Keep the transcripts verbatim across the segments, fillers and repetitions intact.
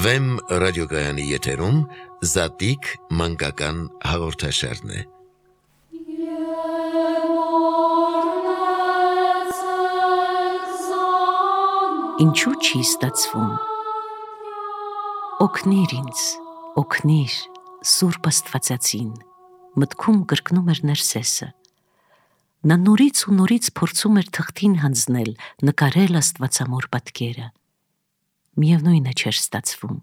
Վեմ ռադիոգայանի եթերում Զատիկ մանկական հաղորդաշարն է։ Ինչու չի ստացվում։ Օգնիր ինձ, օգնիր, Սուրբ Աստվածածին, մտքում կրկնում էր Ներսեսը։ Նա նորից ու նորից փորձում էր թղթին հանձնել, նկարել աստվածամոր պատկերը։ Միևնույնը չէր ստացվում։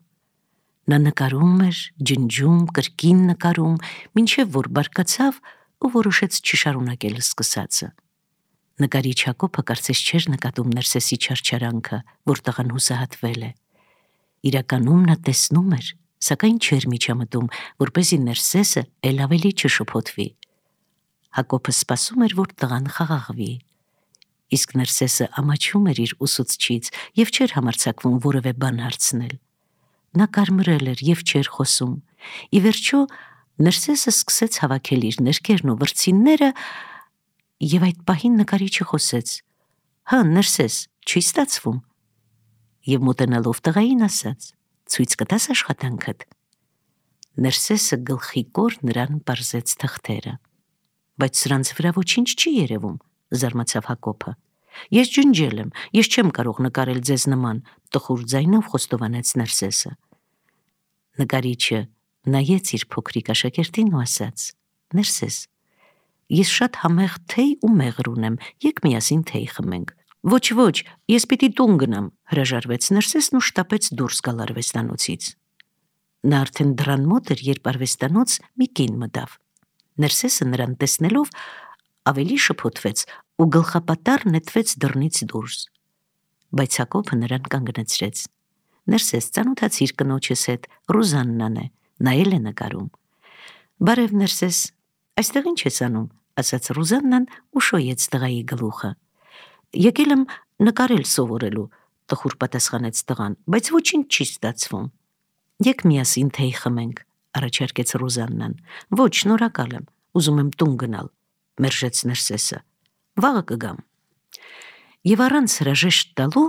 Նա նկարում էր, ջնջում, կրկին նկարում, մինչև որ բարկացավ ու որոշեց չշարունակել սկսածը։ Նկարիչ Հակոբը կարծես չէր նկատում Ներսեսի չարչարանքը, որ տղան հուսահատվել է։ Իրականում նա տեսնում էր, սակայն չէր միջամտում, որպեսզի Ներսեսը էլ ավելի չշփոթվի։ Հակոբը սպասում էր, որ տղան խաղաղվի։ Իսկ Ներսեսը ամաչում էր իր ուսուցչից և չէր համարձակվում որևէ բան հարցնել։ Նա կարմրել էր և չէր խոսում։ Ի վերջո Ներսեսը սկսեց հավաքել իր ներկերն ու վրձինները, և այդ պահին նկարիչը խոսեց. «Հա, Ներսես, չի ստացվում»։ Եվ մոտենալով տղային ասաց. «Ցույց կտա՞ս աշխատանքդ»։ Ներսեսը գլխիկոր նրան պարզեց թղթերը։ «Բայց սրանց վրա ոչինչ չի երևում», զարմացավ Հակոբը։ «Ես ջնջել եմ, ես չեմ կարող նկարել ձեզ նման», տխուր ձայնով խոստովանեց Ներսեսը։ Նկարիչը նայեց իր փոքրիկ աշակերտին ու ասաց. «Ներսես, ես շատ համեղ թեյ ու մեղր ունեմ, եկ միասին թեյ խմենք»։ «Ոչ, ոչ, ես պիտի տուն գնամ», հրաժարվեց Ներսեսն ու շտապեց դուրս գալ արվեստանոցից։ Նա արդեն դռան մոտ էր, երբ արվեստանոց մի կին մտավ։ Ներսեսը նրան տեսնելով ավելի շփոթվեց ու գլխապատառ նետվեց դռնից դուրս։ Բայց Հակոբը նրան կանգնեցրեց. «Ներսես, ծանոթացիր կնոջս հետ, Ռուզաննան է, նա էլ է նկարում»։ «Բարև, Ներսես, այստեղ ինչ ես անում», ասաց Ռուզաննան ու շոյեց տղայի գլուխը։ «Եկել եմ նկարել սովորելու», տխուր պատասխանեց տղան, «բայց ոչինչ չի ստացվում»։ «Եկ միասին թեյ խմենք», առաջարկեց Ռուզաննան։ «Ոչ, շնորհակալ եմ, ուզում եմ տուն գնալ», մերժեց Ներսեսը։ «Վաղը կգամ»։ Եվ առանց հրաժեշտ տալու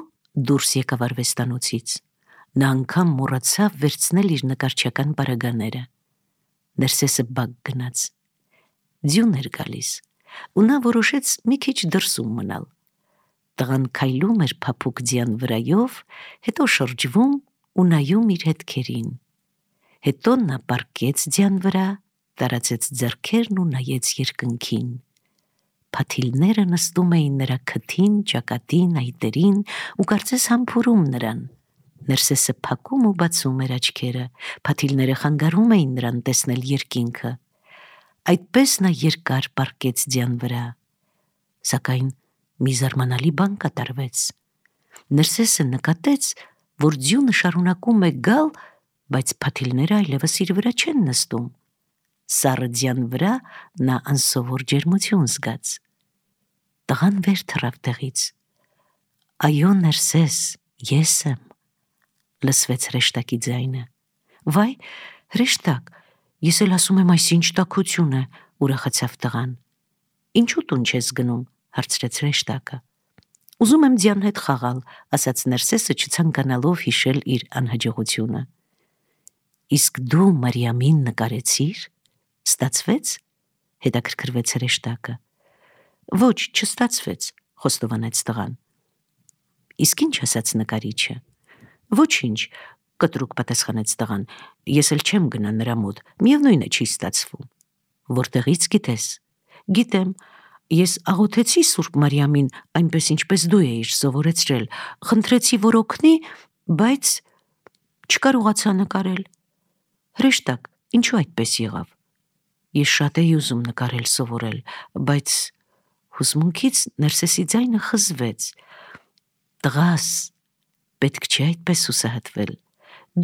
դուրս եկավ արվեստանոցից։ Նա անգամ մոռացավ վերցնել իր նկարչական պարագաները։ Ներսեսը բակ գնաց։ Ձյուն էր գալիս, ու նա որոշեց մի քիչ դրսում մնալ։ Տղան քայլում էր փափուկ ձյան վրայով, հետո շրջվում ու նայում իր հետքերին։ Հետո նա պառկեց ձյան վրա, տարածեց ձեռքերն ու նայեց երկնքին։ Փաթիլները նստում էին նրա քթին, ճակատին, այտերին ու կարծես համբուրում նրան։ Ներսեսը փակում ու բացում էր աչքերը, փաթիլները խանգարում էին նրան տեսնել երկինքը։ Այդպես նա երկար պառկեց ձյան վրա։ Սակայն մի զարմանալի բան կատարվեց։ Ներսեսը նկատեց, որ ձյունը շարունակում է գալ, բայց փաթիլները այլևս իր վրա չեն նստում։ Սառը ձյան վրա նա անսովոր ջերմություն զգաց։ Տղան վեր թռավ տեղից։ «Այո, Ներսես, ես եմ», լսվեց հրեշտակի ձայնը։ «Վայ, հրեշտակ, ես էլ ասում եմ, այս ինչ տաքություն է», ուրախացավ տղան։ «Ինչու տուն չես գնում», հարցրեց հրեշտակը։ «Ուզում եմ ձյան հետ խաղալ», ասաց Ներսեսը, չցանկանալով հիշել իր անհաջողությունը։ «Իսկ դու Մարիամին նկարեցի՞ր, ստացվեց», հետաքրքրվեց հրեշտակը։ «Ոչ, չստացվեց», խոստովանեց տղան։ «Իսկ ինչ ասաց նկարիչը»։ «Ոչինչ», կտրուկ պատասխանեց տղան, «ես էլ չեմ գնա նրա մոտ, միևնույն է չի ստացվում»։ «Որտեղից գիտես»։ «Գիտեմ, ես աղոթեցի Սուրբ Մարիամին, այնպես ինչպես դու էիր սովորեցրել, խնդրեցի, որ օգնի, բայց չկարողացա նկարել»։ «Հրեշտակ, ինչու այդպես եղավ»։ «Ես շատ էի ուզում նկարել սովորել, բայց…» Հուզմունքից Ներսեսի ձայնը խզվեց։ «Տղաս, պետք չէ այդպես հուսահատվել։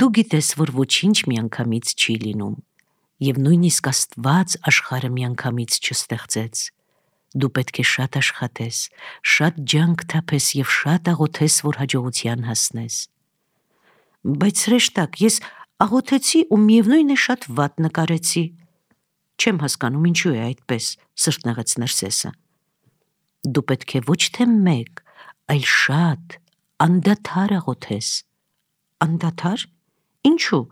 Դու գիտես, որ ոչինչ միանգամից չի լինում, և նույնիսկ Աստված աշխարհը միանգամից չստեղծեց։ Դու պետք է շատ աշխատես, շատ ջանք թափես և շատ աղոթես, որ հաջողության հասնես»։ «Բայց հրեշտակ, ես աղոթեցի ու միևնույն է շատ վատ նկարեցի»։ «Չեմ հասկանում, ինչու է այդպես», սրտնեղեց Ներսեսը։ «Դու պետք է ոչ թե մեկ, այլ շատ, անդադար աղոթես»։ «Անդադար, Ինչու՞,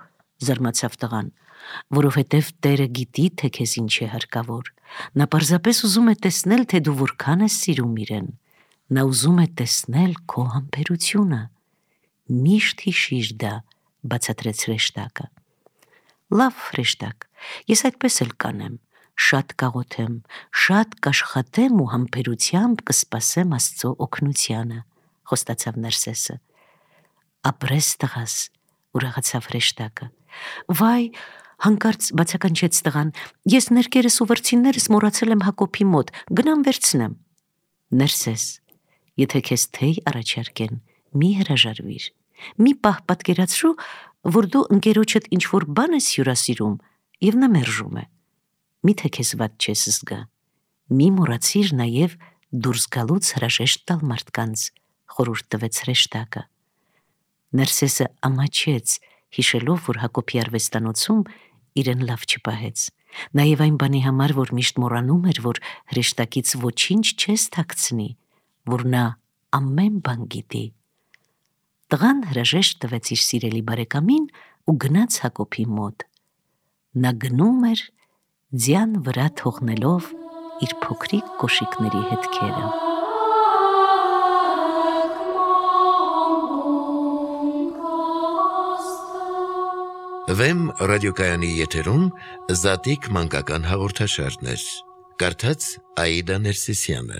զարմացավ տղան, որովհետև Տերը գիտի, թե քեզ ինչ է հարկավոր։ Նա պարզապես ուզում է տեսնել, թե դու որքան ես սիրում իրեն։ Նա ուզում է տեսնել քո համբերությունը։ Միշտ հիշիր դա, բացատրեց հրեշտակը։ Լավ, հրեշտակ, ես այդպես էլ կանեմ, շատ կաղոթեմ, շատ կաշխատեմ ու համբերությամբ կսպասեմ Աստծո օգնությանը, խոստացավ Նարսեսը։ Ապրես տղաս, ուրախացավ հրեշտակը։ Վայ, հանկարծ բացականչեց տղան, ես ներկերս ու վրձիններս մոռացել եմ Հակոբի մոտ, գնամ վերցնեմ։ Նարսես, եթե քեզ թեյ առաջարկեն, մի հրաժարվիր։ Մի պահ պատկերացրու, որ դու ընկերոջդ ինչ-որ բան ես հյուրասիրում և նա մերժում է։ Միթե քեզ վատ չես զգա։ Մի մոռացիր նաև դուրս գալուց հրաժեշտ տալ մարդկանց, խորհուրդ տվեց հրեշտակը։ Նարսեսը ամաչեց, հիշելով, որ Հակոբի արվեստանոցում իրեն լավ չպահեց։ Նաև այն բանի համար, որ միշտ մոռանում էր, որ հրեշտակից ոչինչ չես թաքցնի, որ նա ամեն բան գիտի։ Տղան հրաժեշտ տվեց իր սիրելի բարեկամին ու գնաց Հակոբի մոտ։ Նա գնում էր, ձյան վրա թողնելով իր փոքրիկ կոշիկների հետքերը։ Վեմ ռադիոկայանի եթերում Զատիկ մանկական հաղորդաշարներ։ Կարդաց Աիդա Ներսիսյանը։